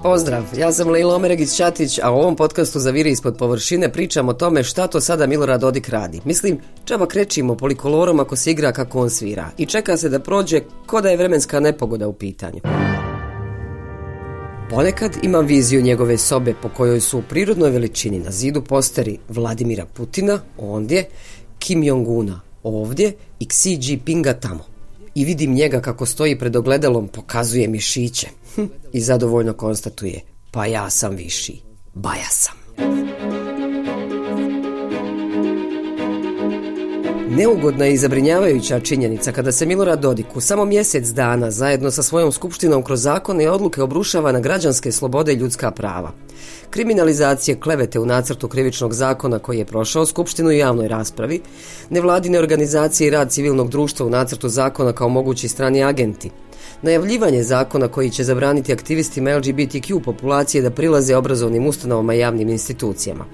Pozdrav, ja sam Lejla Omeregić-Ćatić, a u ovom podcastu za Viri ispod površine pričam o tome šta to sada Milorad Dodik radi. Mislim, džaba krećimo polikolorom ako se igra kako on svira i čeka se da prođe ko da je vremenska nepogoda u pitanju. Ponekad imam viziju njegove sobe po kojoj su u prirodnoj veličini na zidu posteri Vladimira Putina ondje, Kim Jong-una ovdje i Xi Jinpinga tamo. I vidim njega kako stoji pred ogledalom, pokazuje mišiće i zadovoljno konstatuje: pa ja sam viši, baja sam. Neugodna i zabrinjavajuća činjenica kada se Milorad Dodik u samo mjesec dana zajedno sa svojom skupštinom kroz zakone i odluke obrušava na građanske slobode i ljudska prava. Kriminalizacije klevete u nacrtu krivičnog zakona koji je prošao skupštinu i javnoj raspravi, nevladine organizacije i rad civilnog društva u nacrtu zakona kao mogući strani agenti, najavljivanje zakona koji će zabraniti aktivistima LGBTQ populacije da prilaze obrazovnim ustanovama i javnim institucijama.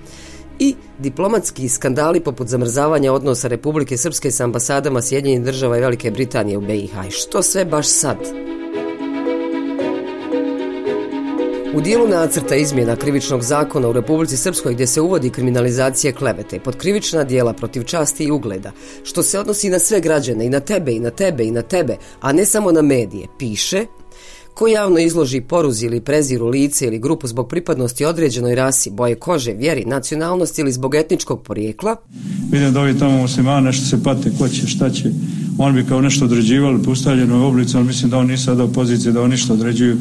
I diplomatski skandali poput zamrzavanja odnosa Republike Srpske s ambasadama Sjedinjenih Država i Velike Britanije u BiH. I što sve baš sad? U dijelu nacrta izmjena krivičnog zakona u Republici Srpskoj gdje se uvodi kriminalizacija klevete pod krivična djela protiv časti i ugleda, što se odnosi na sve građane, i na tebe, i na tebe, i na tebe, a ne samo na medije, piše: ko javno izloži poruzi ili preziru lice ili grupu zbog pripadnosti određenoj rasi, boje kože, vjeri, nacionalnosti ili zbog etničkog porijekla. Vidim da ovi tamo muslimani nešto se pate, ko će, šta će. Oni bi kao nešto određivali po ustaljenoj oblici, ali mislim da oni nisu sada u poziciji da oni ništa određuju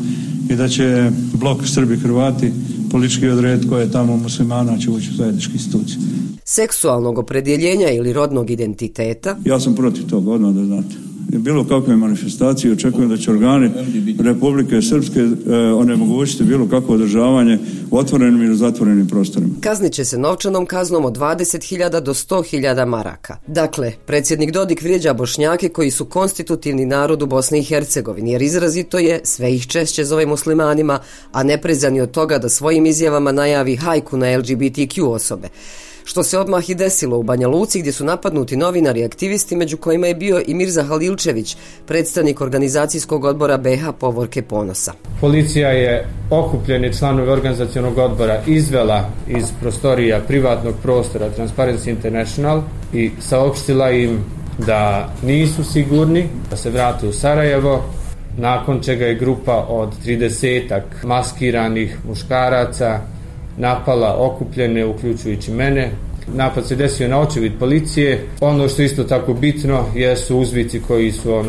i da će blok Srbi, Hrvati politički odrediti koje je tamo muslimana će ući u zajedničke institucije. Seksualnog opredjeljenja ili rodnog identiteta. Ja sam protiv toga, odmah da znate. Bilo kakve manifestacije očekujem da će organi Republike Srpske onemogućiti bilo kakvo održavanje u otvorenim ili zatvorenim prostorima. Kaznit će se novčanom kaznom od 20.000 do 100.000 maraka. Dakle, predsjednik Dodik vrijeđa Bošnjake koji su konstitutivni narod u Bosni i Hercegovini, jer izrazito je, sve ih češće zove muslimanima, a ne prezani od toga da svojim izjavama najavi hajku na LGBTQ osobe. Što se odmah i desilo u Banja Luci gdje su napadnuti novinari i aktivisti, među kojima je bio i Mirza Halilčević, predstavnik organizacijskog odbora BiH Povorke Ponosa. Policija je okupljeni članovi organizacionog odbora izvela iz prostorija privatnog prostora Transparency International i saopštila im da nisu sigurni, da se vrate u Sarajevo, nakon čega je grupa od 30-ak maskiranih muškaraca napala okupljene, uključujući mene. Napad se desio na očevid policije. Ono što je isto tako bitno jesu uzvici koji su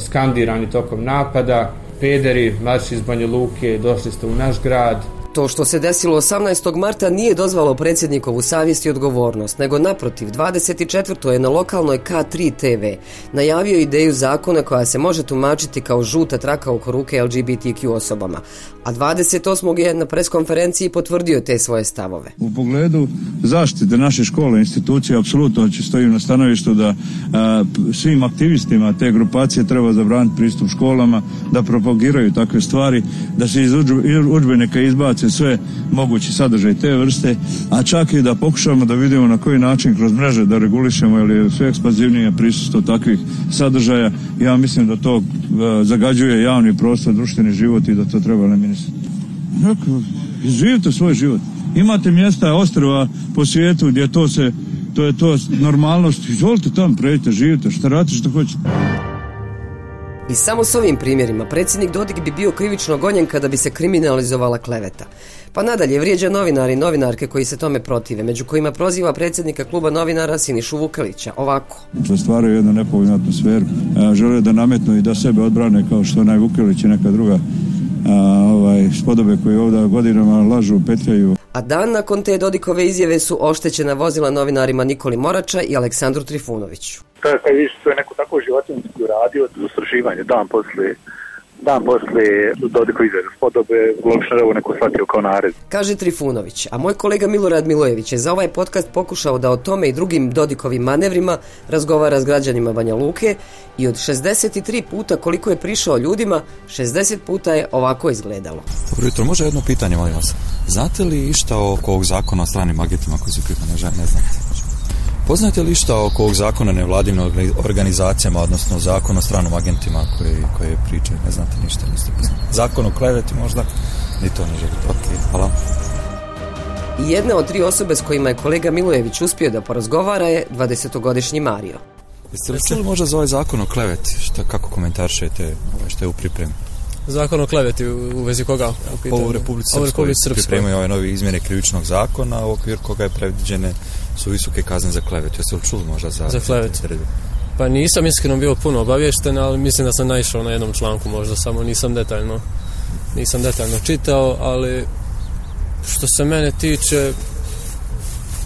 skandirani tokom napada: pederi, marš iz Banja Luke, došli ste u naš grad. To što se desilo 18. marta nije dozvalo predsjednikovu savjest i odgovornost, nego naprotiv, 24. je na lokalnoj K3 TV najavio ideju zakona koja se može tumačiti kao žuta traka oko ruke LGBTQ osobama, a 28. je na preskonferenciji potvrdio te svoje stavove. U pogledu zaštite naše škole, institucije, apsolutno stojim na stanovištu da svim aktivistima te grupacije treba zabraniti pristup školama, da propagiraju takve stvari, da se iz udžbenika izbace sve mogući sadržaj te vrste, a čak i da pokušamo da vidimo na koji način kroz mreže da regulišemo ili je sve ekspanzivnije prisustvo takvih sadržaja. Ja mislim da to zagađuje javni prostor, društveni život i da to treba eliminirati. Živite svoj život. Imate mjesta, ostrva po svijetu gdje to je normalnost. Izvolite tamo, pređite, živite, šta radite, što hoćete. I samo s ovim primjerima predsjednik Dodik bi bio krivično gonjen kada bi se kriminalizovala kleveta. Pa nadalje vrijeđa novinari i novinarke koji se tome protive, među kojima proziva predsjednika kluba novinara Sinišu Vukelića ovako. Stvaraju jednu nepovoljnu atmosferu. Žele da nametnu i da sebe odbrane kao što onaj Vukelić i neka druga spodobe koji ovdje godinama lažu, petljaju. A dan nakon te Dodikove izjave su oštećena vozila novinarima Nikoli Morača i Aleksandru Trifunoviću. Kad više to je neko tako životinjski uradio, istraživanje dan poslije Dodikove izjave spodobe, logično je ovo neko shvatio kao nared. Kaže Trifunović, a moj kolega Milorad Milojević je za ovaj podcast pokušao da o tome i drugim Dodikovim manevrima razgovara s građanima Banja Luke i od 63 puta koliko je prišao ljudima, 60 puta je ovako izgledalo. Dobro jutro, može jedno pitanje, molim vas. Znate li išta oko ovog zakona o stranim agentima koji su pripadne žene? Ne znate. Poznate li šta oko ovog zakona nevladinim organizacijama, odnosno zakon o stranim agentima koje pričaju? Ne znate ništa, niste poznati. Zakon o kleveti možda? Ni to ne želite. Ok, hvala. I jedna od 3 osobe s kojima je kolega Milojević uspio da porazgovara je 20-godišnji Mario. Jeste li čuli možda za ovaj zakon o kleveti? Kako komentaršete što je u pripremi? Zakon o kleveti u vezi koga? U Republici Srpskoj pripremaju ove nove izmjene krivičnog zakona, u okviru koga je predviđene su visoke kazne za klevetu. Jeste li čuli možda za klevetu? Pa nisam iskreno bio puno obavješten, ali mislim da sam naišao na jednom članku, možda samo nisam detaljno čitao, ali što se mene tiče,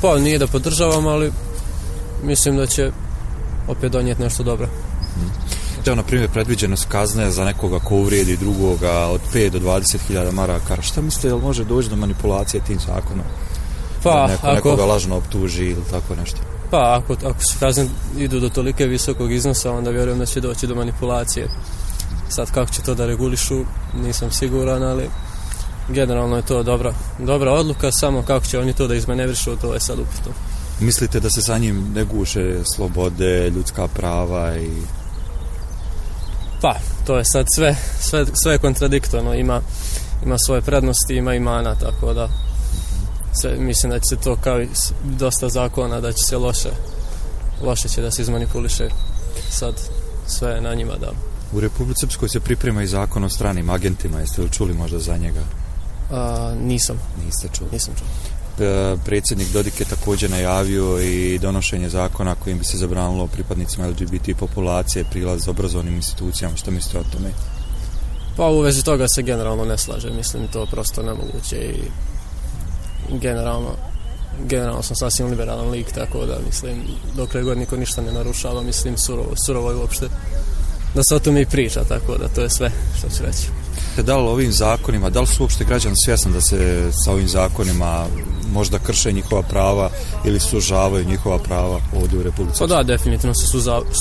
pa nije da podržavam, ali mislim da će opet donijeti nešto dobro. Evo, na primjer, predviđene su kazne za nekoga ko uvrijedi drugoga od 5 do 20.000 maraka. Šta mislite, jel može doći do manipulacije tim zakonom? Pa, nekoga lažno optuži ili tako nešto? Pa, ako su kazne idu do tolike visokog iznosa, onda vjerujem da će doći do manipulacije. Sad, kako će to da regulišu, nisam siguran, ali generalno je to dobra odluka, samo kako će oni to da izmanevrišu, to je sad upitno. Mislite da se sa njim ne guše slobode, ljudska prava i... Pa, to je sad sve kontradiktorno, ima svoje prednosti, ima i mana, tako da mislim da će se to kao i dosta zakona, da će se loše će da se izmanipuliše, sad sve je na njima da... U Republici Srpskoj se priprema i zakon o stranim agentima, jeste li čuli možda za njega? Nisam. Niste čuli? Nisam čuli. Predsjednik Dodik je također najavio i donošenje zakona kojim bi se zabranilo pripadnicima LGBT populacije prilaz obrazovnim institucijama. Što mislite o tome? Pa u vezi toga se generalno ne slaže. Mislim to prosto nemoguće i generalno sam sasvim liberalan lik, tako da mislim dokle god niko ništa ne narušava, mislim surovo je uopšte da se o tome i priča, tako da to je sve što ću reći. Da li ovim zakonima, da li su uopšte građani svjesni da se sa ovim zakonima možda krše njihova prava ili sužavaju njihova prava ovdje u Republici? Pa da, definitivno se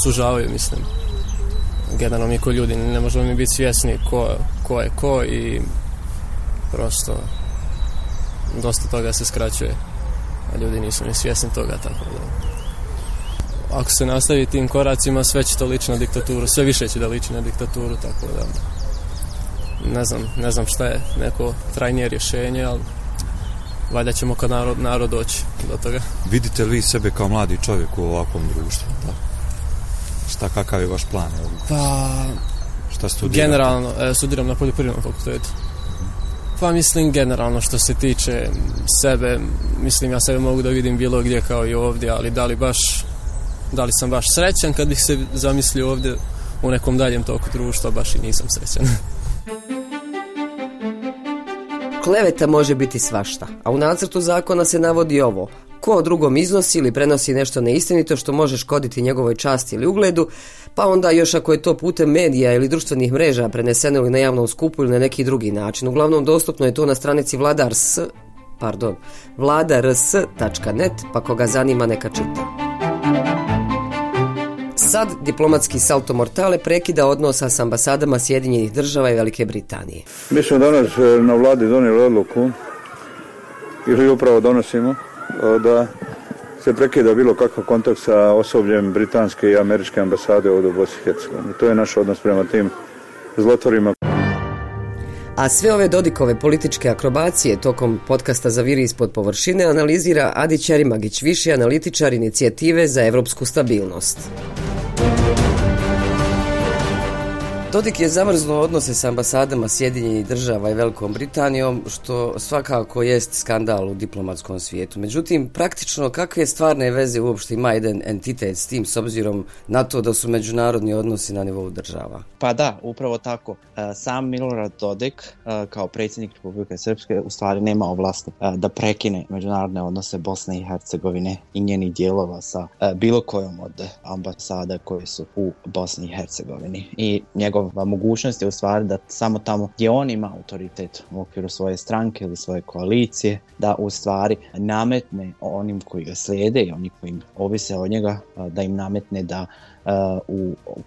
sužavaju, mislim. Generalno mi ko ljudi ne možemo mi biti svjesni ko je ko i prosto dosta toga se skraćuje, a ljudi nisu ni svjesni toga, tako da... Ako se nastavi tim koracima, sve će to liči na diktaturu, sve više će da liči na diktaturu, tako da ne znam šta je neko trajnije rješenje, ali valjda ćemo kao narod doći do toga. Vidite li sebe kao mladi čovjek u ovakvom društvu? Da? Kakav je vaš plan? Pa, šta studirate? Generalno, studiram na poljoprivrednom fakultetu. Pa mislim generalno što se tiče sebe, mislim ja sebe mogu da vidim bilo gdje kao i ovdje, ali da li sam baš srećan kad bih se zamislio ovdje u nekom daljem toku društva, baš i nisam srećan. Kleveta može biti svašta, a u nacrtu zakona se navodi ovo: ko drugom iznosi ili prenosi nešto neistinito što može škoditi njegovoj časti ili ugledu, pa onda još ako je to putem medija ili društvenih mreža preneseno ili na javnom skupu ili na neki drugi način. Uglavnom dostupno je to na stranici vladars.net, pa koga zanima neka čita. Sad diplomatski salto mortale prekida odnosa s ambasadama Sjedinjenih Država i Velike Britanije. Mi smo danas na vladi donijeli odluku, ili upravo donosimo, da se prekida bilo kakav kontakt sa osobljem britanske i američke ambasade ovdje u Bosni i Hercegovini. To je naš odnos prema tim zlotvorima. A sve ove Dodikove političke akrobacije tokom podcasta Zaviri ispod površine analizira Adi Ćerimagić, viši analitičar inicijative za evropsku stabilnost. Dodik je zamrznuo odnose s ambasadama Sjedinjenih Država i Velikom Britanijom, što svakako jest skandal u diplomatskom svijetu. Međutim, praktično kakve stvarne veze uopšte ima jedan entitet s tim, s obzirom na to da su međunarodni odnosi na nivou država? Pa da, upravo tako. Sam Milorad Dodik kao predsjednik Republike Srpske u stvari nema ovlasti da prekine međunarodne odnose Bosne i Hercegovine i njenih dijelova sa bilo kojom od ambasada koje su u Bosni i Hercegovini. I njegova mogućnost je u stvari da samo tamo gdje on ima autoritet u okviru svoje stranke ili svoje koalicije, da u stvari nametne onim koji ga slijede i oni koji ovise od njega, da im nametne da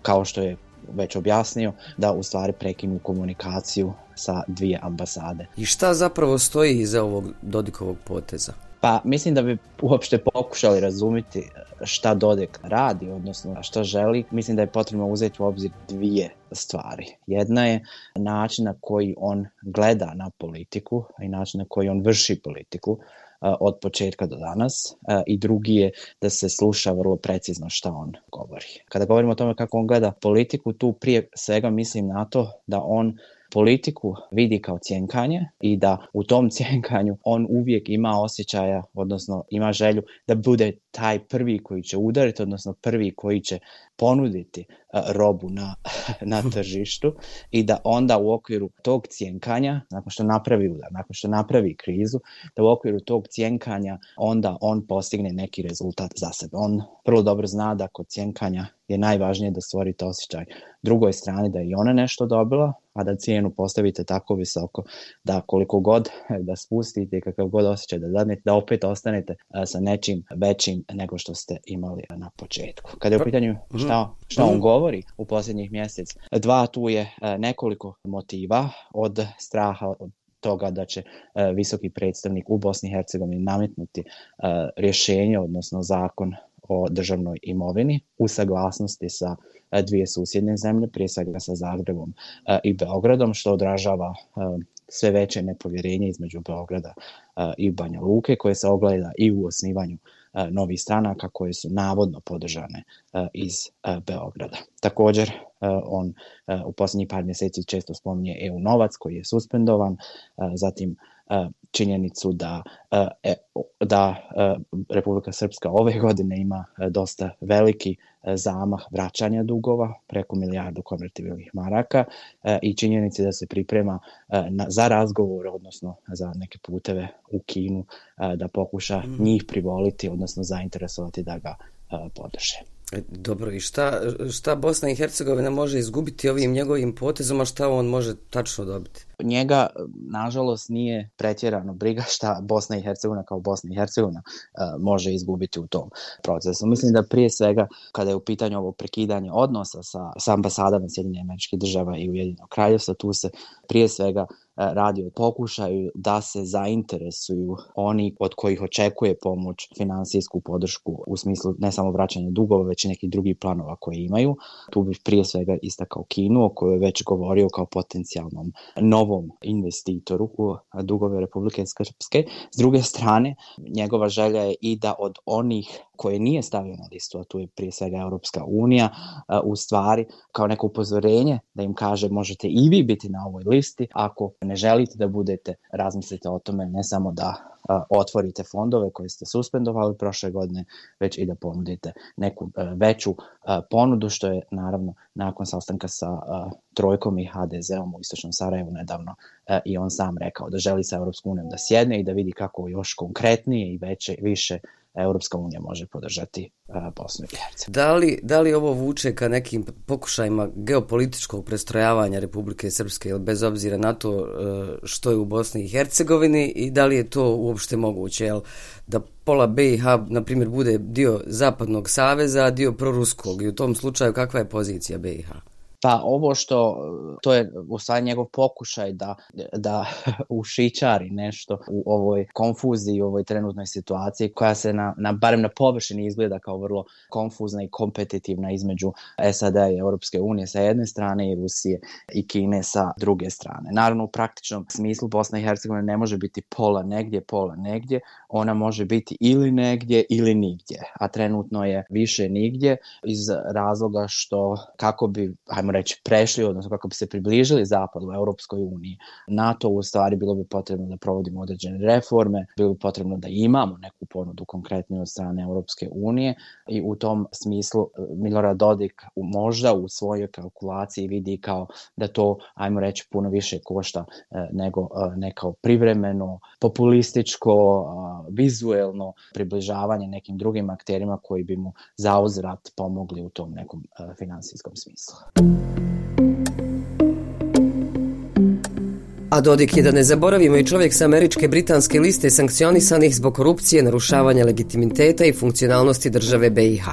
kao što je već objasnio, da u stvari prekinu komunikaciju sa dvije ambasade. I šta zapravo stoji iza ovog Dodikovog poteza? Pa mislim da bi uopšte pokušali razumjeti šta Dodik radi, odnosno šta želi. Mislim da je potrebno uzeti u obzir dvije stvari. Jedna je način na koji on gleda na politiku i način na koji on vrši politiku od početka do danas, i drugi je da se sluša vrlo precizno šta on govori. Kada govorimo o tome kako on gleda politiku, tu prije svega mislim na to da on politiku vidi kao cjenkanje i da u tom cjenkanju on uvijek ima osjećaja, odnosno ima želju da bude taj prvi koji će udariti, odnosno prvi koji će ponuditi robu na tržištu i da onda u okviru tog cjenkanja, nakon što napravi udar, nakon što napravi krizu, da u okviru tog cjenkanja onda on postigne neki rezultat za sebe. On vrlo dobro zna da kod cjenkanja je najvažnije da stvorite osjećaj drugoj strani da je i ona nešto dobila, a da cijenu postavite tako visoko da koliko god da spustite i kakav god osjećaj da dadnete, da opet ostanete sa nečim većim nego što ste imali na početku. Kada je u pitanju šta on govori u posljednjih mjesec, dva, tu je nekoliko motiva, od straha od toga da će visoki predstavnik u Bosni i Hercegovini nametnuti rješenje, odnosno zakon o državnoj imovini u saglasnosti sa dvije susjedne zemlje, prije svega sa Zagrebom i Beogradom, što odražava sve veće nepovjerenje između Beograda i Banja Luke, koje se ogleda i u osnivanju novih stranaka koje su navodno podržane iz Beograda. Također, on u posljednjih par mjeseci često spominje EU novac koji je suspendovan, zatim činjenicu da Republika Srpska ove godine ima dosta veliki zamah vraćanja dugova, preko 1 milijardu konvertibilnih maraka, i činjenici da se priprema za razgovor, odnosno za neke puteve u Kinu, da pokuša njih privoliti, odnosno zainteresovati da ga podrže. Dobro, i šta Bosna i Hercegovina može izgubiti ovim njegovim potezom, a šta on može tačno dobiti? Njega, nažalost, nije pretjerano briga šta Bosna i Hercegovina kao Bosna i Hercegovina može izgubiti u tom procesu. Mislim da prije svega, kada je u pitanju ovo prekidanje odnosa sa ambasadama Sjedinjenih Američkih Država i Ujedinjenog Kraljevstva, tu se prije svega radi o pokušaju da se zainteresuju oni od kojih očekuje pomoć, finansijsku podršku u smislu ne samo vraćanja dugova, već i nekih drugih planova koje imaju. Tu bih prije svega istakao Kinu, o kojoj je već govorio kao potencijalnom novom investitoru u dugove Republike Srpske. S druge strane, njegova želja je i da od onih koje nije stavio na listu, a tu je prije svega Europska unija, u stvari kao neko upozorenje da im kaže možete i vi biti na ovoj listi, ako ne želite da budete, razmislite o tome, ne samo da otvorite fondove koje ste suspendovali prošle godine, već i da ponudite neku veću ponudu, što je naravno nakon sastanka sa Trojkom i HDZ-om u Istočnom Sarajevu nedavno i on sam rekao da želi sa Europskom unijom da sjedne i da vidi kako još konkretnije i više Europska unija može podržati Bosnu i Hercegovinu. Da li ovo vuče ka nekim pokušajima geopolitičkog prestrojavanja Republike Srpske, bez obzira na to što je u Bosni i Hercegovini, i da li je to uopšte moguće? Jel, da pola BiH, na primjer, bude dio Zapadnog saveza, a dio proruskog, i u tom slučaju kakva je pozicija BiH? Pa to je u stvari njegov pokušaj da ušićari nešto u ovoj konfuziji, u ovoj trenutnoj situaciji koja se barem na površini izgleda kao vrlo konfuzna i kompetitivna između SAD-a i Europske unije sa jedne strane i Rusije i Kine sa druge strane. Naravno, u praktičnom smislu Bosna i Hercegovina ne može biti pola negdje, ona može biti ili negdje ili nigdje, a trenutno je više nigdje iz razloga što kako bi, hajmo reći, prešli, odnosno kako bi se približili zapadu u Europskoj uniji, NATO, u stvari bilo bi potrebno da provodimo određene reforme, bilo bi potrebno da imamo neku ponudu konkretniju od strane Europske unije, i u tom smislu Milorad Dodik možda u svojoj kalkulaciji vidi kao da to, ajmo reći, puno više košta nego neko privremeno, populističko, vizuelno približavanje nekim drugim akterima koji bi mu zauzvrat pomogli u tom nekom finansijskom smislu. A Dodik je, da ne zaboravimo, i čovjek sa američke britanske liste sankcionisanih zbog korupcije, narušavanja legitimiteta i funkcionalnosti države BiH.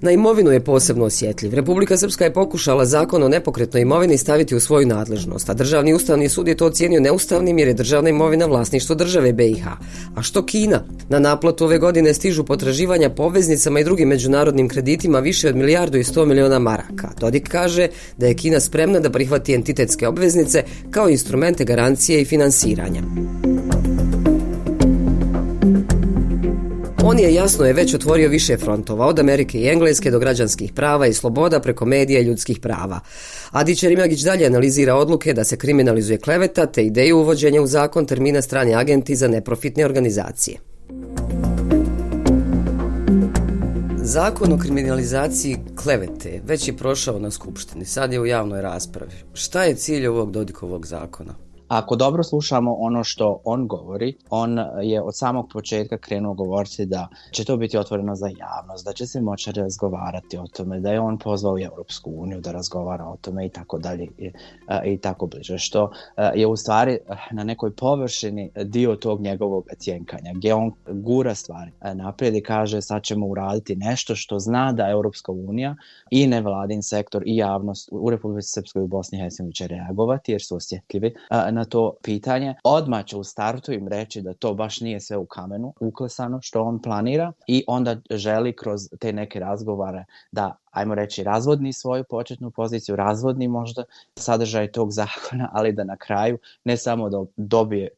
Na imovinu je posebno osjetljiv. Republika Srpska je pokušala zakon o nepokretnoj imovini staviti u svoju nadležnost, a Državni ustavni sud je to ocijenio neustavnim jer je državna imovina vlasništvo države BiH. A što Kina? Na naplatu ove godine stižu potraživanja po obveznicama i drugim međunarodnim kreditima više od 1,1 milijarda maraka. Dodik kaže da je Kina spremna da prihvati entitetske obveznice kao instrumente garancije i finansiranja. On je već otvorio više frontova, od Amerike i Engleske do građanskih prava i sloboda preko medija i ljudskih prava. Adi Čerimagić dalje analizira odluke da se kriminalizuje kleveta te ideju uvođenja u zakon termina strani agenti za neprofitne organizacije. Zakon o kriminalizaciji klevete već je prošao na Skupštini, sad je u javnoj raspravi. Šta je cilj ovog Dodikovog zakona? Ako dobro slušamo ono što on govori, on je od samog početka krenuo govoriti da će to biti otvoreno za javnost, da će se moći razgovarati o tome, da je on pozvao Europsku uniju da razgovara o tome i tako dalje i tako bliže, što je u stvari na nekoj površini dio tog njegovog cjenkanja, gdje on gura stvari naprijed i kaže sad ćemo uraditi nešto što zna da Europska unija i nevladin sektor i javnost u Republici Srpskoj i u Bosni i Hercegovini će reagovati jer su osjetljivi na to pitanje. Odmah će u startu im reći da to baš nije sve u kamenu uklesano što on planira i onda želi kroz te neke razgovore da, ajmo reći, razvodni svoju početnu poziciju, razvodni možda sadržaj tog zakona, ali da na kraju ne samo da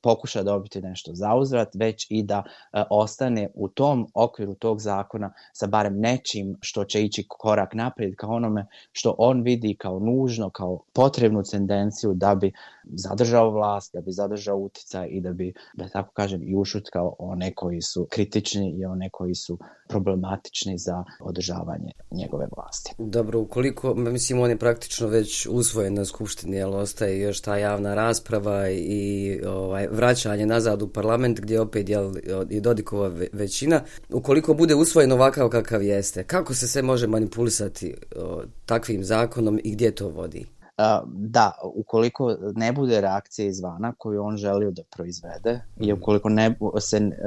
pokuša dobiti nešto zauzvrat, već i da ostane u tom okviru tog zakona sa barem nečim što će ići korak naprijed ka onome što on vidi kao nužno, kao potrebnu tendenciju da bi zadržao vlast, da bi zadržao utjecaj i da bi, da tako kažem, i ušutkao one koji su kritični i one koji su problematični za održavanje njegove vlasti. Dobro, ukoliko, mislim, on je praktično već usvojen na Skupštini, ali ostaje još ta javna rasprava i vraćanje nazad u parlament gdje opet je Dodikova većina. Ukoliko bude usvojen ovakav kakav jeste, kako se sve može manipulisati takvim zakonom i gdje to vodi? Da, ukoliko ne bude reakcije izvana koju on želio da proizvede i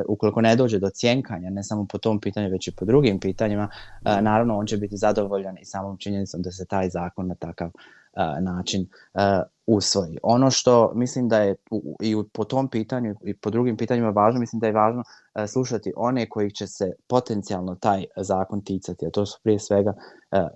ukoliko ne dođe do cjenkanja, ne samo po tom pitanju, već i po drugim pitanjima, naravno on će biti zadovoljan i samom činjenicom da se taj zakon na takav način usvoji. Ono što mislim da je i po tom pitanju i po drugim pitanjima važno, mislim da je važno slušati one koji će se potencijalno taj zakon ticati, a to su prije svega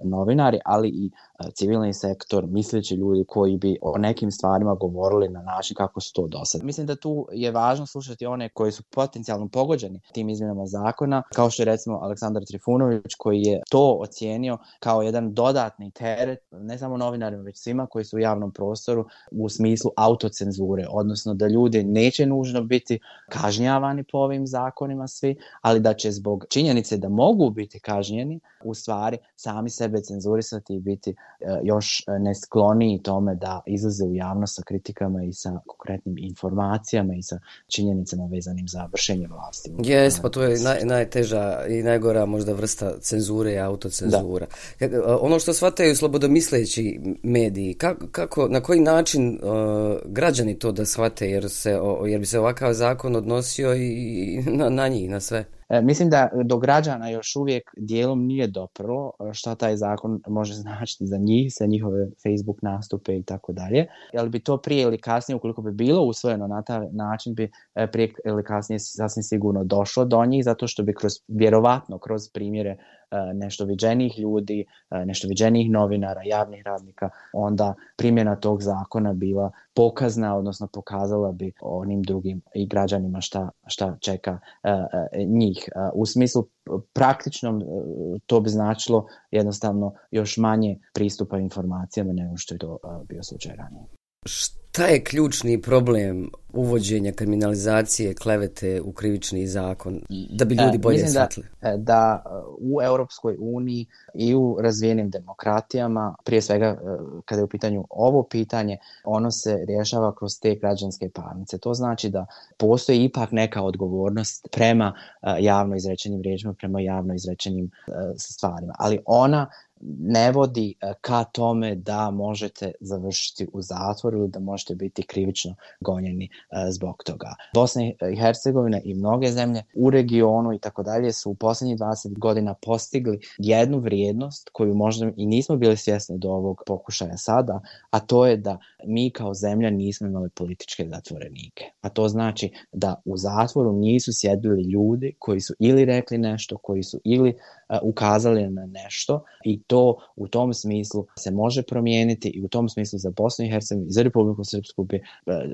novinari, ali i civilni sektor, misleći ljudi koji bi o nekim stvarima govorili na način kako su to do sad. Mislim da tu je važno slušati one koji su potencijalno pogođeni tim izmjenama zakona, kao što je recimo Aleksandar Trifunović koji je to ocijenio kao jedan dodatni teret, ne samo novinarima, već svima koji su u javnom prostoru u smislu autocenzure, odnosno da ljudi neće nužno biti kažnjavani po ovim zakonima svi, ali da će zbog činjenice da mogu biti kažnjeni u stvari sami sebe cenzurisati i biti još neskloniji tome da izlaze u javnost sa kritikama i sa konkretnim informacijama i sa činjenicama vezanim za vršenje vlasti. Jes, pa to je najteža i najgora možda vrsta cenzure i autocenzura. Ono što shvataju slobodomisleći mediji, kako, na koji način građani to da shvate, jer bi se ovakav zakon odnosio i na njih, na sve? Mislim da do građana još uvijek dijelom nije doprlo šta taj zakon može značiti za njih, za njihove Facebook nastupe i tako dalje. Ali bi to prije ili kasnije, ukoliko bi bilo usvojeno na taj način, bi prije ili kasnije sasvim sigurno došlo do njih, zato što bi vjerovatno kroz primjere nešto viđenijih ljudi, nešto viđenijih novinara, javnih radnika, onda primjena tog zakona bila pokazna, odnosno pokazala bi onim drugim i građanima šta čeka njih. U smislu praktičnom to bi značilo jednostavno još manje pristupa informacijama nego što je to bio slučaj ranije. Šta je ključni problem uvođenja kriminalizacije klevete u krivični zakon, da bi ljudi bolje shvatili? Da u Europskoj uniji i u razvijenim demokratijama, prije svega kada je u pitanju ovo pitanje, ono se rješava kroz te građanske parnice. To znači da postoji ipak neka odgovornost prema javno izrečenim riječima, prema javno izrečenim stvarima. Ali ona ne vodi ka tome da možete završiti u zatvoru ili da možete biti krivično gonjeni zbog toga. Bosna i Hercegovina i mnoge zemlje u regionu i tako dalje su u posljednjih 20 godina postigli jednu vrijednost koju možda i nismo bili svjesni do ovog pokušaja sada, a to je da mi kao zemlja nismo imali političke zatvorenike. A to znači da u zatvoru nisu sjedili ljudi koji su ili rekli nešto, koji su ili ukazali na nešto, i to u tom smislu se može promijeniti i u tom smislu za Bosnu i Hercegovinu i za Republiku Srpsku bi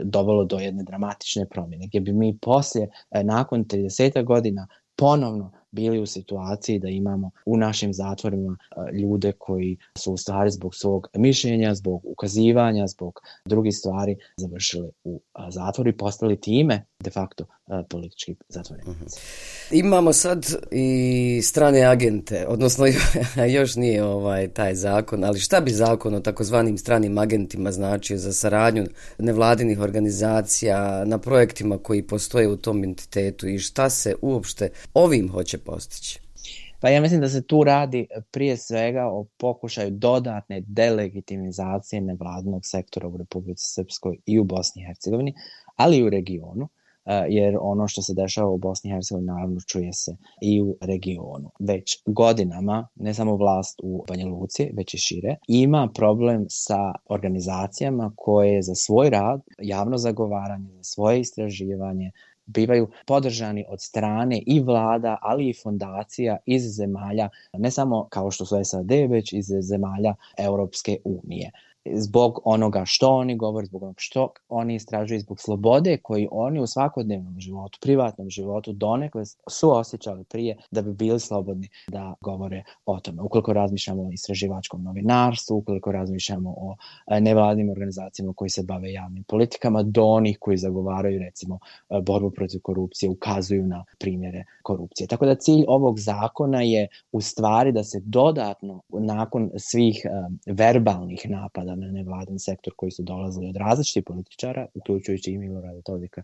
dovelo do jedne dramatične promjene, gdje bi mi poslije, nakon 30 godina, ponovno bili u situaciji da imamo u našim zatvorima ljude koji su u stvari zbog svog mišljenja, zbog ukazivanja, zbog drugih stvari završili u zatvoru i postali time de facto politički zatvorenici. Imamo sad i strane agente, odnosno još nije taj zakon, ali šta bi zakon o takozvanim stranim agentima značio za saradnju nevladinih organizacija na projektima koji postoje u tom entitetu i šta se uopšte ovim hoće postići? Pa ja mislim da se tu radi prije svega o pokušaju dodatne delegitimizacije nevladinog sektora u Republici Srpskoj i u Bosni i Hercegovini, ali i u regionu, jer ono što se dešava u Bosni i Hercegovini naravno čuje se i u regionu. Već godinama, ne samo vlast u Banja Luci, već i šire, ima problem sa organizacijama koje za svoj rad, javno zagovaranje, za svoje istraživanje bivaju podržani od strane i vlada, ali i fondacija iz zemalja, ne samo kao što su SAD, već iz zemalja Europske unije. Zbog onoga što oni govore, zbog onoga što oni istražuju, zbog slobode koji oni u svakodnevnom životu, privatnom životu donekle su osjećali prije da bi bili slobodni da govore o tome. Ukoliko razmišljamo o istraživačkom novinarstvu, ukoliko razmišljamo o nevladnim organizacijama koji se bave javnim politikama, do onih koji zagovaraju recimo borbu protiv korupcije, ukazuju na primjere korupcije. Tako da cilj ovog zakona je u stvari da se dodatno, nakon svih verbalnih napada na nevladin sektor koji su dolazili od različitih političara, uključujući i Milorada Dodika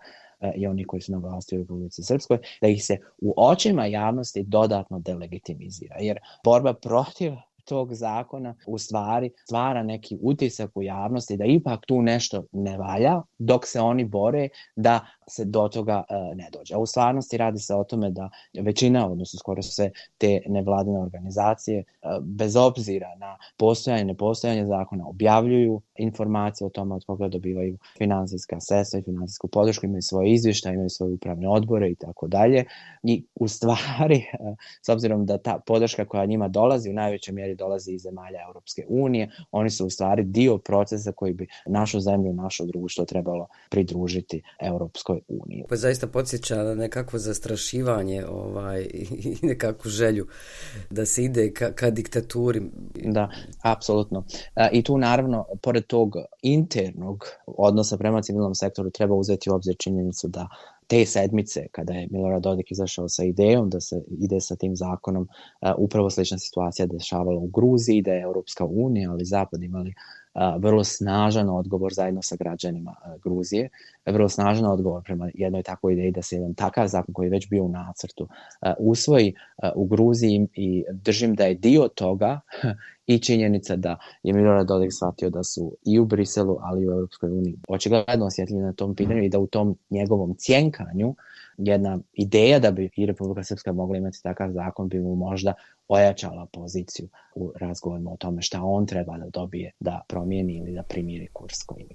i oni koji su na vlasti u Republici Srpskoj, da ih se u očima javnosti dodatno delegitimizira. Jer borba protiv tog zakona u stvari stvara neki utisak u javnosti da ipak tu nešto ne valja, dok se oni bore da se do toga ne dođe. A u stvarnosti radi se o tome da većina, odnosno skoro sve te nevladine organizacije, bez obzira na postojanje i nepostojanje zakona, objavljuju informacije o tome od koga dobivaju finansijska sredstva i finansijsku podršku, imaju svoje izvještaje, imaju svoje upravne odbore i tako dalje. I u stvari, s obzirom da ta podrška koja njima dolazi u najvećoj mjeri dolazi iz zemalja Europske unije, oni su u stvari dio procesa koji bi našu zemlju, naše društvo trebalo pridružiti Europskoj uniji. Pa zaista podsjeća na nekakvo zastrašivanje i nekakvu želju da se ide ka diktaturi. Da, apsolutno. I tu naravno, pored tog internog odnosa prema civilnom sektoru, treba uzeti u obzir činjenicu da te sedmice, kada je Milorad Dodik izašao sa idejom da se ide sa tim zakonom, upravo slična situacija dešavala u Gruziji, da je Europska unija, ali Zapad imali vrlo snažan odgovor zajedno sa građanima Gruzije, vrlo snažan odgovor prema jednoj takvoj ideji da se jedan takav zakon koji je već bio u nacrtu usvoji u Gruziji, i držim da je dio toga i činjenica da je Milorad Dodik shvatio da su i u Briselu, ali i u Europskoj uniji očigledno osjetljivi na tom pitanju i da u tom njegovom cjenkanju jedna ideja da bi i Republika Srpska mogla imati takav zakon bi mu možda ojačala poziciju u razgovorima o tome šta on treba da dobije da promijeni ili da primiri kurs koji ima.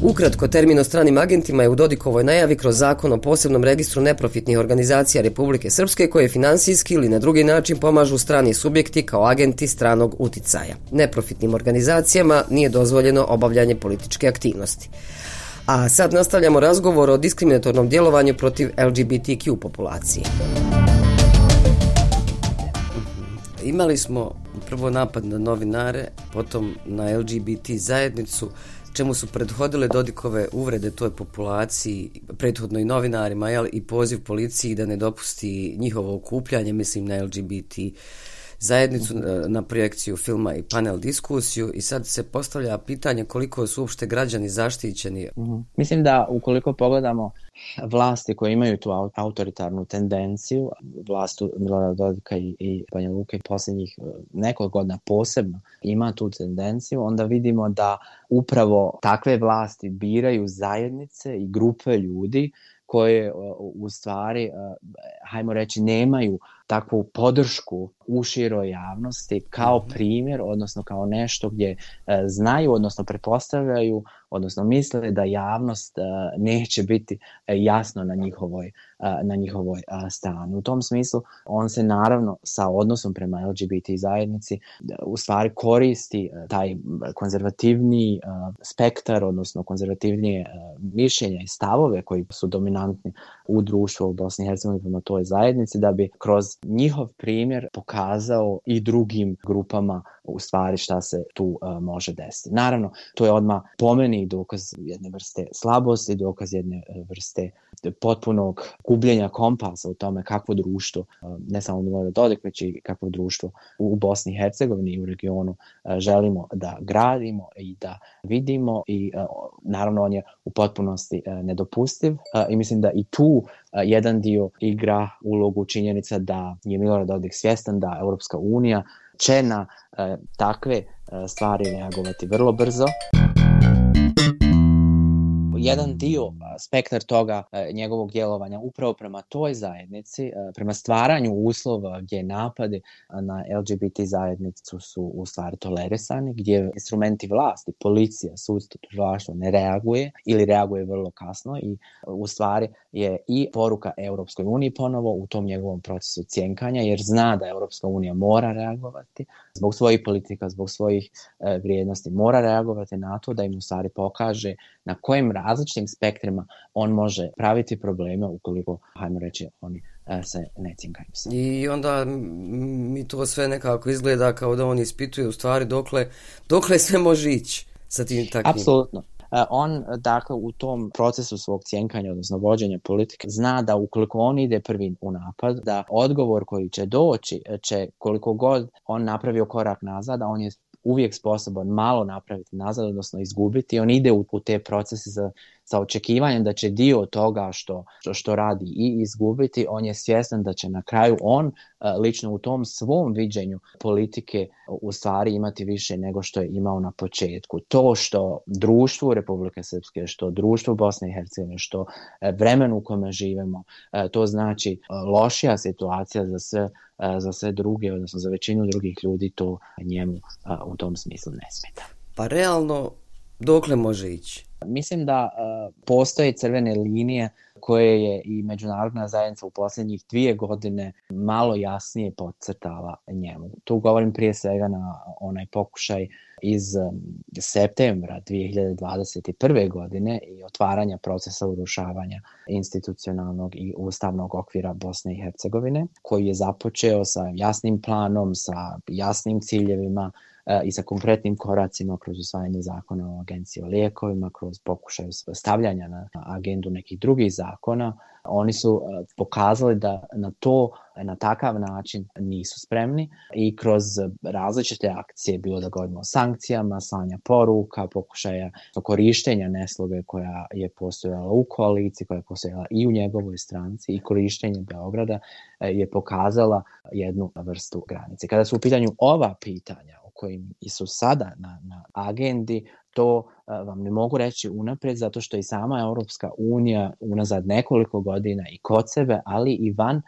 Ukratko, termin o stranim agentima je u Dodikovoj najavi kroz zakon o posebnom registru neprofitnih organizacija Republike Srpske koje finansijski ili na drugi način pomažu strani subjekti kao agenti stranog uticaja. Neprofitnim organizacijama nije dozvoljeno obavljanje političke aktivnosti. A sad nastavljamo razgovor o diskriminatornom djelovanju protiv LGBTQ populacije. Imali smo prvo napad na novinare, potom na LGBT zajednicu, čemu su prethodile Dodikove uvrede toj populaciji, prethodno i novinarima, i poziv policiji da ne dopusti njihovo okupljanje, mislim na LGBT zajednicu na projekciju filma i panel diskusiju i sad se postavlja pitanje koliko su uopšte građani zaštićeni. Mislim da ukoliko pogledamo vlasti koje imaju tu autoritarnu tendenciju, vlastu Milorada Dodika i Banja Luke posljednjih nekoliko godina posebno ima tu tendenciju, onda vidimo da upravo takve vlasti biraju zajednice i grupe ljudi koje u stvari, hajmo reći, nemaju takvu podršku u široj javnosti kao primjer, odnosno kao nešto gdje znaju, odnosno pretpostavljaju, odnosno misle da javnost neće biti jasno na njihovoj strani. U tom smislu on se naravno sa odnosom prema LGBT zajednici u stvari koristi taj konzervativni spektar, odnosno konzervativnije mišljenja i stavove koji su dominantni u društvu u Bosni i Hercegovini prema toj zajednici, da bi kroz njihov primjer pokazao i drugim grupama u stvari šta se tu može desiti. Naravno, to je odmah po meni dokaz jedne vrste slabosti, dokaz jedne vrste potpunog gubljenja kompasa u tome kakvo društvo, ne samo Milorad Dodik, već i kakvo društvo u Bosni i Hercegovini i u regionu želimo da gradimo i da vidimo i naravno on je u potpunosti nedopustiv i mislim da i tu jedan dio igra ulogu činjenica da je Milorad Dodik svjestan da Europska unija će na takve stvari reagovati vrlo brzo. Jedan dio, spektar toga njegovog djelovanja upravo prema toj zajednici, prema stvaranju uslova gdje napade na LGBT zajednicu su u stvari tolerisani, gdje instrumenti vlasti, policija, sudstvo, tužilaštvo ne reaguje ili reaguje vrlo kasno i u stvari je i poruka Europskoj uniji ponovo u tom njegovom procesu cjenkanja, jer zna da Europska unija mora reagovati zbog svojih politika, zbog svojih vrijednosti, mora reagovati na to da im u stvari pokaže na kojim različitim spektrima on može praviti probleme ukoliko, hajmo reći, oni se ne cinkaju. I onda mi to sve nekako izgleda kao da on ispituje u stvari dokle sve može ići sa tim takvim. Apsolutno. On, dakle, u tom procesu svog cjenkanja, odnosno vođenja politike, zna da ukoliko on ide prvi u napad, da odgovor koji će doći će, koliko god on napravio korak nazad, a on je uvijek sposoban malo napraviti nazad, odnosno izgubiti. On ide u te procese sa očekivanjem da će dio toga što radi i izgubiti. On je svjestan da će na kraju on lično u tom svom viđenju politike u stvari imati više nego što je imao na početku. To što društvu Republike Srpske, što društvu Bosne i Hercegovine, što vremenu u kome živimo, to znači lošija situacija za sve druge, odnosno za većinu drugih ljudi, to njemu u tom smislu ne smeta. Pa realno, dokle može ići? Mislim da postoje crvene linije koje je i međunarodna zajednica u posljednjih 2 godine malo jasnije podcrtala njemu. Tu govorim prije svega na onaj pokušaj iz septembra 2021. godine i otvaranja procesa urušavanja institucionalnog i ustavnog okvira Bosne i Hercegovine, koji je započeo sa jasnim planom, sa jasnim ciljevima i sa konkretnim koracima kroz usvajanje zakona o agenciji o lijekovima, kroz pokušaj stavljanja na agendu nekih drugih zakona. Oni su pokazali da na takav način nisu spremni i kroz različite akcije, bilo da govorimo o sankcijama, slanja poruka, pokušaja korištenja nesloge koja je postojala u koaliciji, koja je postojala i u njegovoj stranci i korištenje Beograda je pokazala jednu vrstu granice. Kada su u pitanju ova pitanja koji su sada na agendi, to vam ne mogu reći unaprijed, zato što i sama Europska unija unazad nekoliko godina i kod sebe, ali i van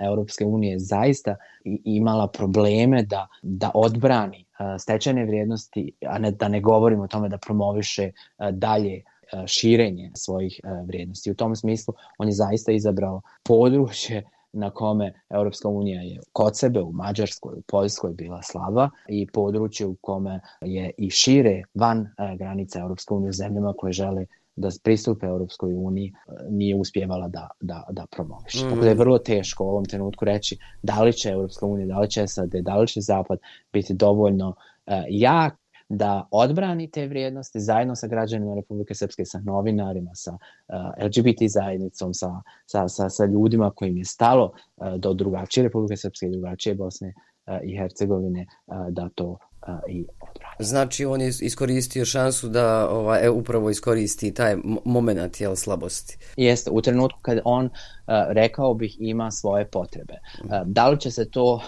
Europske unije zaista imala probleme da odbrani stečene vrijednosti, a da ne govorimo o tome da promoviše dalje širenje svojih vrijednosti. U tom smislu on je zaista izabrao područje na kome Europska unija je kod sebe u Mađarskoj, u Poljskoj bila slaba i područje u kome je i šire van granica Europske unije u zemljama koje žele da pristupe Europskoj uniji nije uspjevala da promoviše. Tako da je vrlo teško u ovom trenutku reći da li će Europska unija, da li će SAD, da li će Zapad biti dovoljno jak da odbrani te vrijednosti zajedno sa građanima Republike Srpske, sa novinarima, sa LGBT zajednicom, sa ljudima kojim je stalo do drugačije Republike Srpske i drugačije Bosne i Hercegovine da to i odbrani. Znači on je iskoristio šansu da upravo iskoristi taj moment slabosti. Jeste, u trenutku kad on, rekao bih, ima svoje potrebe. Da li će se to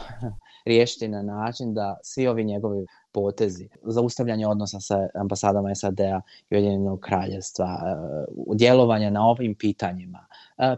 riješiti na način da svi ovi njegovi potezi, zaustavljanje odnosa sa ambasadama SAD-a i Ujedinjenog Kraljevstva, djelovanja na ovim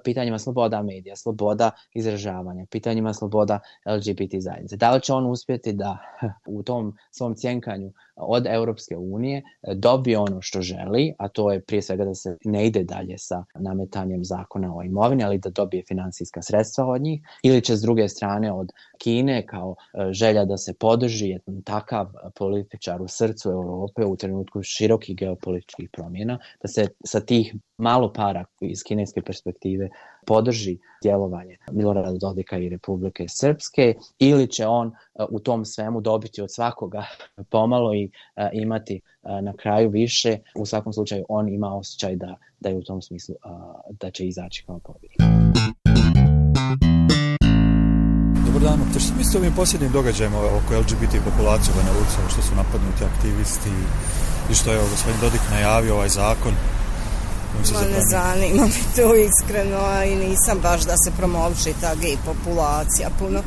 pitanjima sloboda medija, sloboda izražavanja, pitanjima sloboda LGBT zajednice. Da li će on uspjeti da u tom svom cjenkanju od Europske unije dobije ono što želi, a to je prije svega da se ne ide dalje sa nametanjem zakona o imovini, ali da dobije financijska sredstva od njih, ili će s druge strane od Kine kao želja da se podrži jedan takav političar u srcu Europe u trenutku širokih geopolitičkih promjena, da se sa tih malo para iz kineske perspektive podrži djelovanje Milorada Dodika i Republike Srpske, ili će on u tom svemu dobiti od svakoga pomalo i imati na kraju više. U svakom slučaju on ima osjećaj da je u tom smislu da će izaći kao pobjednik. Dobar dan, što mislite o ovim posljednjim događajima oko LGBT populacije u Banja Luci, što su napadnuti aktivisti i što je gospodin Dodik najavio ovaj zakon? Ne zanima mi to iskreno, i nisam baš da se promoviše ta gej populacija puno,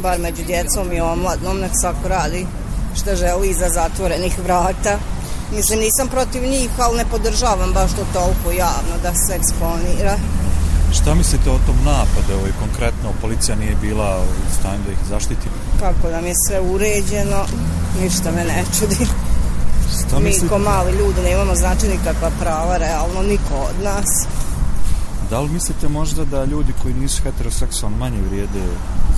bar među djecom i omladnom, nek svako radi što želi iza zatvorenih vrata. Mislim, nisam protiv njih, ali ne podržavam baš to toliko javno da se eksponira. Šta mislite o tom napadu? Konkretno, policija nije bila u stanju da ih zaštiti? Kako nam je sve uređeno, ništa me ne čudi. Mi ko mali ljudi nemamo znači nikakva prava, realno niko od nas. Da li mislite možda da ljudi koji nisu heteroseksualni manje vrijede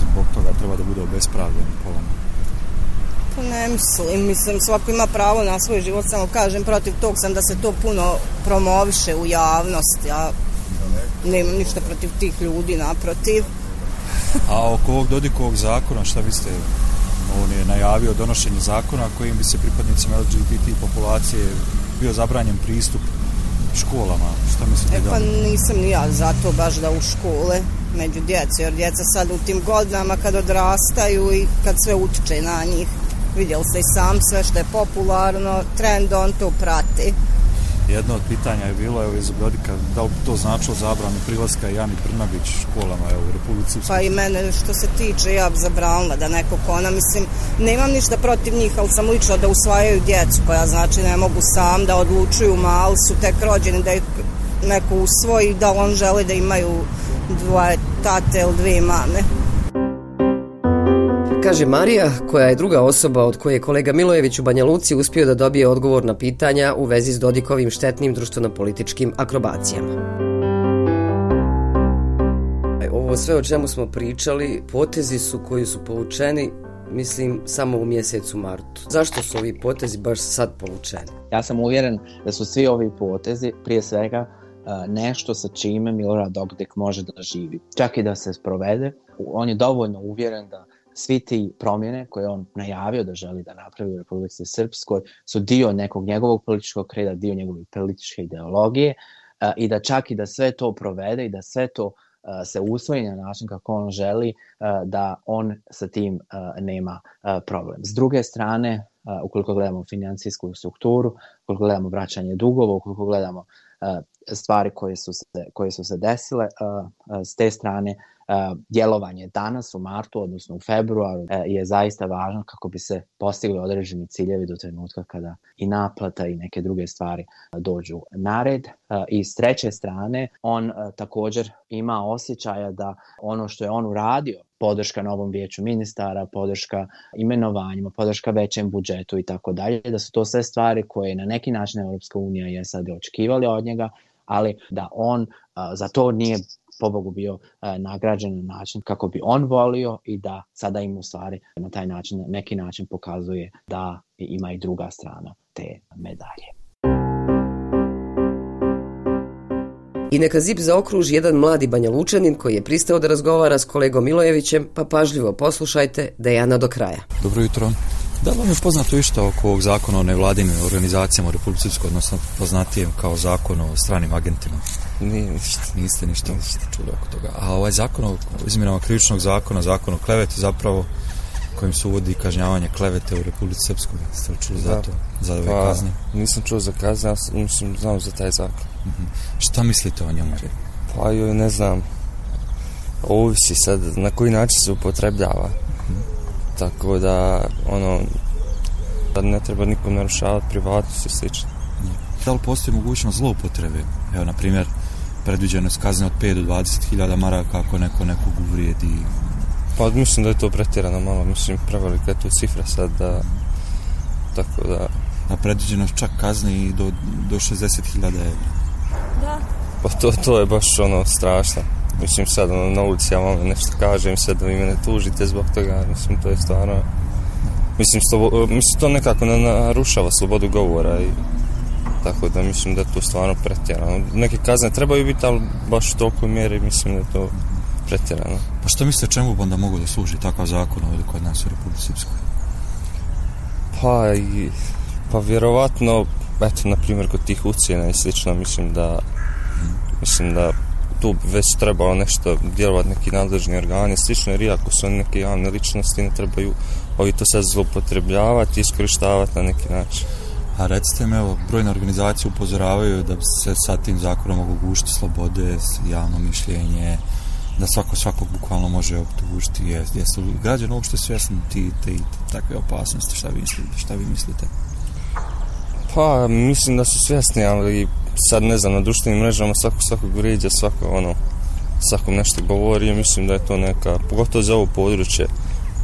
zbog toga treba da budu obespravljeni polom? Pa ne mislim, svako ima pravo na svoj život, samo kažem, protiv tog sam da se to puno promoviše u javnosti, ja nemam ništa protiv tih ljudi, naprotiv. A oko ovog Dodikovog zakona, šta biste, on je najavio donošenje zakona kojim bi se pripadnicima LGBT populacije bio zabranjen pristup školama, šta mislite da? Pa nisam ni ja zato baš da u škole među djece, jer djeca sad u tim godinama kad odrastaju i kad sve utiče na njih, vidjeli ste i sam sve što je popularno, trend on to prati. Jedno od pitanja je bilo, evo iz Dodika, da li to značilo zabranu prilaska Jani Brnabić školama u Republici Srpskoj? Pa i mene što se tiče, ja bi zabranila da neko kona, mislim, nemam ništa protiv njih, ali sam lično da usvajaju djecu, koja znači ne mogu sam da odlučuju, mali su tek rođeni, da ih neko usvoji, da on želi da imaju dvoje tate ili dvije mame. Kaže Marija, koja je druga osoba od koje je kolega Milojević u Banja Luci uspio da dobije odgovor na pitanja u vezi s Dodikovim štetnim društveno-političkim akrobacijama. Ovo sve o čemu smo pričali, potezi su koji su povučeni, mislim, samo u mjesecu martu. Zašto su ovi potezi baš sad povučeni? Ja sam uvjeren da su svi ovi potezi prije svega nešto sa čime Milorad Dodik može da živi. Čak i da se sprovede, on je dovoljno uvjeren da svi ti promjene koje on najavio da želi da napravi u Republici Srpskoj su dio nekog njegovog političkog kreda, dio njegove političke ideologije, i da čak i da sve to provede i da sve to se usvoji na način kako on želi, da on sa tim nema problem. S druge strane, ukoliko gledamo financijsku strukturu, ukoliko gledamo vraćanje dugova, ukoliko gledamo stvari koje su se desile, s te strane djelovanje danas u martu, odnosno u februaru, je zaista važno kako bi se postigli određeni ciljevi do trenutka kada i naplata i neke druge stvari dođu na red. I s treće strane, on također ima osjećaja da ono što je on uradio, podrška novom vijeću ministara, podrška imenovanjima, podrška većem budžetu i tako dalje, da su to sve stvari koje na neki način Europska unija je sad očekivali od njega, ali da on za to nije pobogu bio nagrađen na način kako bi on volio i da sada im u stvari na taj način, na neki način pokazuje da ima i druga strana te medalje. I neka zip zaokruži jedan mladi Banja Lučanin koji je pristao da razgovara s kolegom Milojevićem, pa pažljivo poslušajte Dejana do kraja. Dobro jutro. Da li vam je poznato išta oko ovog zakona o nevladinim organizacijama u Republici Srpskoj, odnosno poznatijem kao zakon o stranim agentima? Niste ništa čuli oko toga. A ovaj zakon o izmjenama krivičnog zakona, zakon o kleveti zapravo kojim se uvodi kažnjavanje klevete u Republici Srpskoj. Ste li čuli za to? Za ove kazne? Nisam čuo za kazne, mislim, znam za taj zakon. Šta mislite o njemu? Pa joj, ne znam. Ovisi sad na koji način se upotrebljava. Tako da, da ne treba nikom narušavati privatnost i slično. Da li postoji mogućnost zloupotrebe? Evo, na primjer, predviđeno je kazne od 5 do 20.000 maraka ako nekog uvrijedi. Pa mislim da je to pretjerano malo, mislim prevelika je to cifra sad da, tako da... A predviđeno čak kazne i do 60.000 evra. Da. Pa to je baš strašno. Mislim sad na ulici ja vam nešto kažem sad da vi mene tužite zbog toga, mislim to je stvarno... Mislim to nekako narušava slobodu govora i tako da mislim da je to stvarno pretjerano. Neke kazne trebaju biti, ali baš u tolikoj mjeri mislim da je to pretjerano. Pa što mislite čemu bi onda mogu da služi takav zakon ovdje kod nas u Republici Srpskoj? Pa vjerovatno, eto, na primjer kod tih ucjena i slično, mislim da tu već trebalo nešto djelovati neki nadležni organi, slično, jer iako su oni neke javne ličnosti, ne trebaju ovi to sad zloupotrebljavati i iskorištavati na neki način. A recite mi, evo, brojne organizacije upozoravaju da se sa tim zakonom mogu gušiti slobode, javno mišljenje, da svakog bukvalno može optužiti. Jesu građani uopšte svjesni takve opasnosti? Šta vi mislite? Pa, mislim da su svjesni, ali sad ne znam, na društvenim mrežama svakog vrijeđa, svakom nešto govori, mislim da je to neka, pogotovo za ovo područje,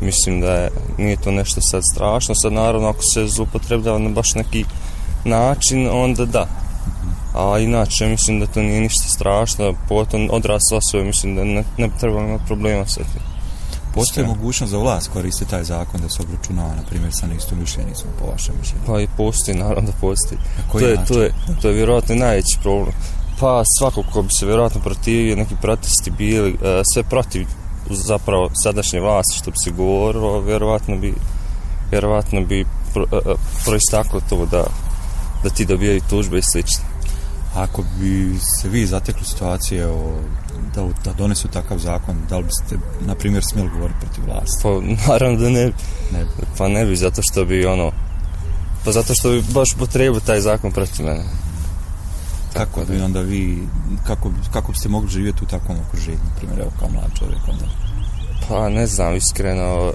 mislim da nije to nešto sad strašno. Sad naravno ako se zloupotrebljava na baš neki način, onda da. A inače mislim da to nije ništa strašno, pogotovo odrasle osobe, mislim da ne bi trebalo imati problema sa tim. Postoji mogućnost za vlast koristi taj zakon da se obračunava, na primjer, sa neistomišljenicima, po vašem mišljenju? Pa i postoji, naravno da postoji. To je vjerojatno najveći problem. Pa svako ko bi se vjerojatno protivio, neki protesti bili, sve protiv zapravo sadašnje vlasti, što bi se govorilo, vjerojatno bi proistaklo to da ti dobijaju tužbe i slično. Ako bi se vi zatekli situacije da donesu takav zakon, da li biste, na primjer, smjeli govoriti protiv vlasti? Pa naravno da ne bi. Pa ne bi, zato što bi zato što bi baš potrebio taj zakon protiv mene. Kako bi onda kako biste mogli živjeti u takvom okruženju, na primjer, evo kao mlad čovjek onda? Pa ne znam, iskreno,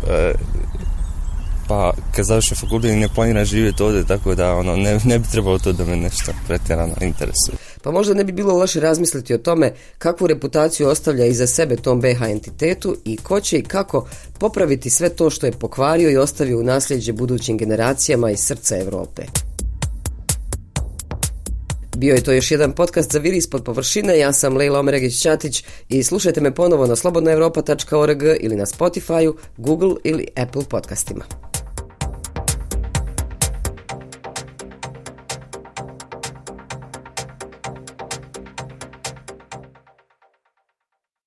pa kad završim fakultet ne planiram živjeti ovdje, tako da ne bi trebalo to da me nešto pretjerano interesuje. Pa možda ne bi bilo loše razmisliti o tome kakvu reputaciju ostavlja iza sebe tom BiH entitetu i ko će i kako popraviti sve to što je pokvario i ostavio u nasljeđe budućim generacijama iz srca Europe. Bio je to još jedan podcast za Viri ispod površine. Ja sam Lejla Omeregić-Ćatić i slušajte me ponovo na slobodnaevropa.org ili na Spotify, Google ili Apple podcastima.